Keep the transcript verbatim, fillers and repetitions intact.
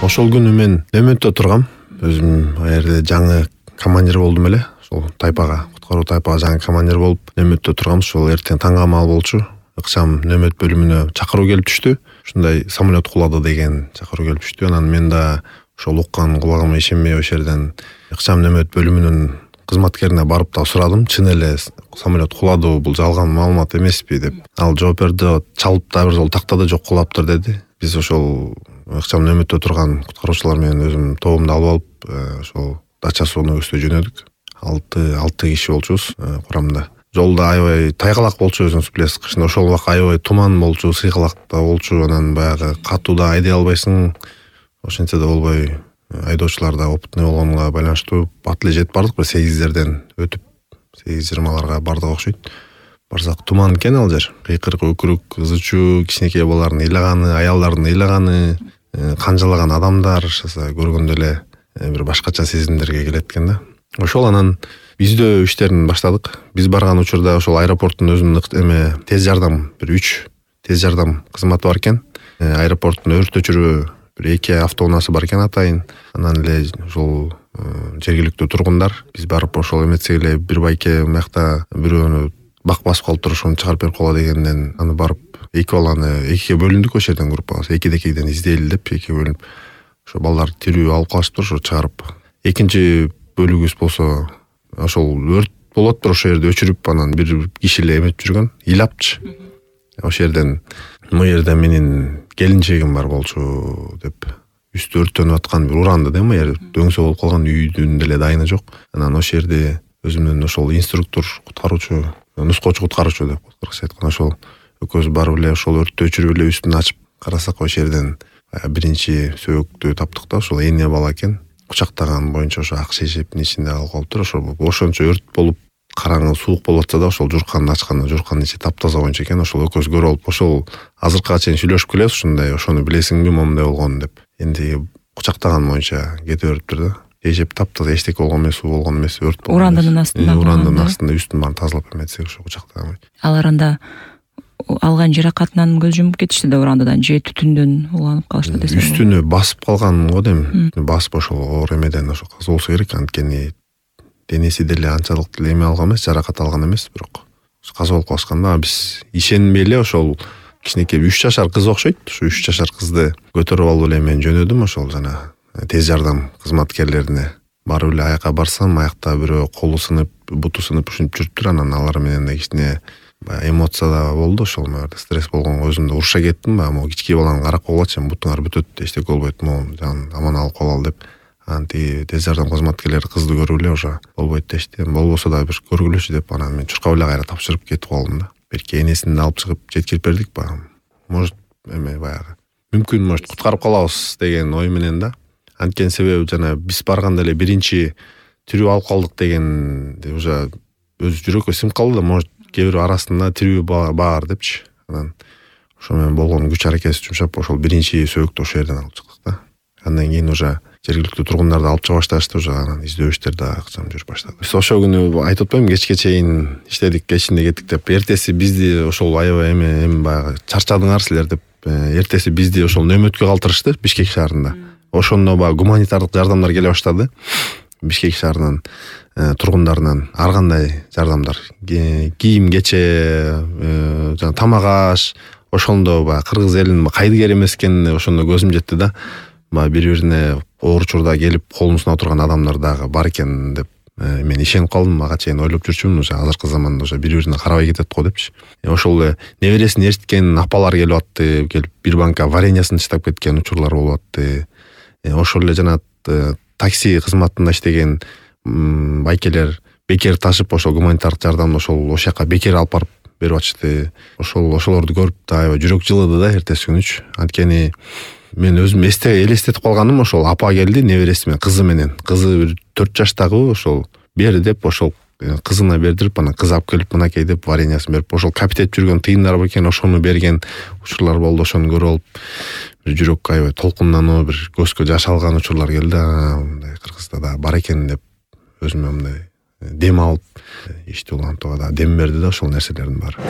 Ошол күнү мен Нөмөттө тургам. Өзүм ал жерде жаңы командир болдум эле. Ошол тайпага, куткаруу тайпага жаңы командир болуп Нөмөттө тургам. Ошол эртең таң камал болчу. Ыкчам Нөмөт бөлүмүнө чакыруу келип түштү. Ушундай самолет кулады деген чакыруу келип түштү. Анан мен да ошол уккан кулагыма ишенбей ошол жерден ыкчам Нөмөт бөлүмүнүн кызматкерине барып да сурадым. Чын эле самолет куладыбы, бул жалган маалымат эмеспи деп. Ал жооп берди, чалып да бир жолу тактады, жок кулаптыр деди. Биз ошол ыкчам Нөмөттө турган куткаруучулар менен өзүм тобумду алып алып, ошол Дача сууна көзгө жөнөдүк. алты алты киши болчубуз курамда. Жолда аябай тайгалак болчу, өзүңүз билесиз, кышында ошол убак аябай туман болчу, сыйкалак да болчу, анан баягы катуу да айдай албайсың. Ошентсе да болбой, айдоочулар да опытный болгонуна байланыштуу бат эле жетип бардык, бир сегиздерден өтүп, сегиз жыйырмаларга бардык окшойт. Барсак туман экен ал жер. Кыйкырык, өкүрүк, ызы чуу, кичинекей балалардын ыйлаганы, аялдардын ыйлаганы, канжалаган адамдар көргөндө эле бир башкача сезимдерге келет экен да. Ошол анан издөө иштерин баштадык. Биз барган учурда ошол аэропорттун өзүнүн эме тез жардам, бир үч тез жардам кызматы бар экен. Аэропорттун өрт өчүрүү бир эки автоунаасы бар экен атайын. Анан эле ошол жергиликтүү тургундар биз барып ошол эметсек эле бир байке мыякта бирөөнү бак басып калып туруп ошону чыгарып берип койгула дегенден аны барып эки баланы экиге бөлүндүк, ошол жерден группабыз экиде экиден издейли деп экиге бөлүнүп ошо балдар тирүү алып калышыптыр, ошо чыгарып. Экинчи бөлүгүбүз болсо ошол өрт болоттур, ошол жерде өчүрүп анан бир киши эле эметип жүргөн, ыйлапчы. Ошол жерден могу жерде менин келинчегим бар болчу деп үстү өрттөнүп аткан бир уранды да, могу жер дөңсө болуп калган, үйдүн деле дайыны жок. Анан ошол жерде өзүмдүн ошол инструктор, куткаруучу, нускоочу куткаруучу деп кыргызча айтканда ошол экөөбүз барып эле ошол өрттү өчүрүп эле үстүн ачып карасак, ошол жерден биринчи сөөгүктү таптык да. Ошол эне бала экен. Кучактаган боюнча ошо ак шешептин ичинде калып калыптыр. Ошол ошончо өрт болуп караңгы суук болуп атса да, ошол журканды ачканда журканын ичи таптаза боюнча экен. Ошол экөөбүз көрүп алып, ошол азыркыга чейин сүйлөшүп келебиз, ушундай ошону билесиңби, момундай болгонун деп. Энди кучактаган боюнча кете бериптир да. Эжеп таптаза, эчтеке болгон эмес, суу болгон эмес, өрт болгон. Урандынын астында. Урандынын астында үстүн баарын тазалап эметсек ошо кучактаган боюнча. Алар анда алган жаракатынан көз жумуп кетишти да, урандыдан же түтүндөн уланып калышты десем. Үстүнө басып калган го дейм. Басып ошол оор эмеден ошо каза болсо керек, анткени денеси деле анчалык деле эме алган эмес, жаракат алган эмес, бирок каза болуп калышкан да. Биз ишенбей эле ошол кичинекей үч жашар кыз окшойт. Ушу үч жашар кызды көтөрүп алып эле мен жөнөдүм ошол жана тез жардам кызматкерлерине. Барып эле аяка барсам, аякта бирөө колу сынып, буту сынып ушинтип жүрүптүр. Анан алар менен да кичине эмоция да болду, ошол мөөрдө стресс болгонго өзүм да уруша кеттим. Могу кички баланы карап койгулачы, бутуңар бүтөт, эчтеке болбойт, могу жан аман алып калалы деп. Анан тиги тез жардам кызматкерлери кызды көрүп эле ошо болбойт дешти. Болбосо да бир көргүлөчү деп, анан мен чуркап эле кайра тапшырып кетип калдым да. Берки энесин алып чыгып жеткирип бердик баягы. Может эме баягы мүмкүн может куткарып калабыз деген ой менен да. Анткени себеби жана биз барганда эле биринчи тирүү алып калдык деген уже өз жүрөккө сиңип калды да, может кээ бирөө арасында тирүү бар депчи. Анан ошо менен болгон күч аракетибизди жумшап ошол биринчи сөөгүктү ошол жерден алып чыктык да. Андан кийин уже жергиликтүү тургундарды алып чыга башташты, уже анан издөө иштери да ыкчам жүрүп баштады. Биз ошол күнү айтып атпаймынбы, кечке чейин иштедик, кечинде кеттик деп. Эртеси бизди ошол аябай эме эми баягы чарчадыңар силер деп, эртеси бизди ошол Нөмөткө калтырышты, Бишкек шаарында. Ошондо баягы гуманитардык жардамдар келе баштады. Бишкек шаарынын тургундарынан ар кандай жардамдар, кийим кече, жана тамак аш, ошондо баягы кыргыз элинин кайдыгер эмес экенине ошондо көзүм жетти да. Баягы бири-бирине оор учурда келип колун сунап турган адамдар дагы бар экен деп мен ишенип калдым. Ага чейин ойлоп жүрчүмүн, уже азыркы заманда уже бири-бирине карабай кетет го депчи. Ошол эле небересин ээрчиткен апалар келип атты, келип бир банка вареньясын таштап кеткен учурлар болуп атты. Ошол эле жана такси кызматында иштеген байкелер бекер ташып, ошол гуманитардык жардамды ошол ошол жака бекер алып барып берип атышты. Ошол ошолорду көрүп да аябай жүрөк жылыды да эртеси күнүчү. Анткени мен өзүм эсте элестетип калганым, ошол апа келди небереси менен, кызы менен. Кызы бир төрт жаштагы, ошол бер деп ошол кызына бердирип, анан кыз алып келип мынакей деп вареньясын берип, ошол капитет жүргөн тыйындар бекен, ошону берген учурлар болду. Ошону көрүп алып бир жүрөккө аябай толкундануу, бир көзгө жаш алган учурлар келди. Мындай Кыргызда да бар экен деп өзүмө мындай дем алып, ишти улантууга да дем берди да ошол нерселердин баары.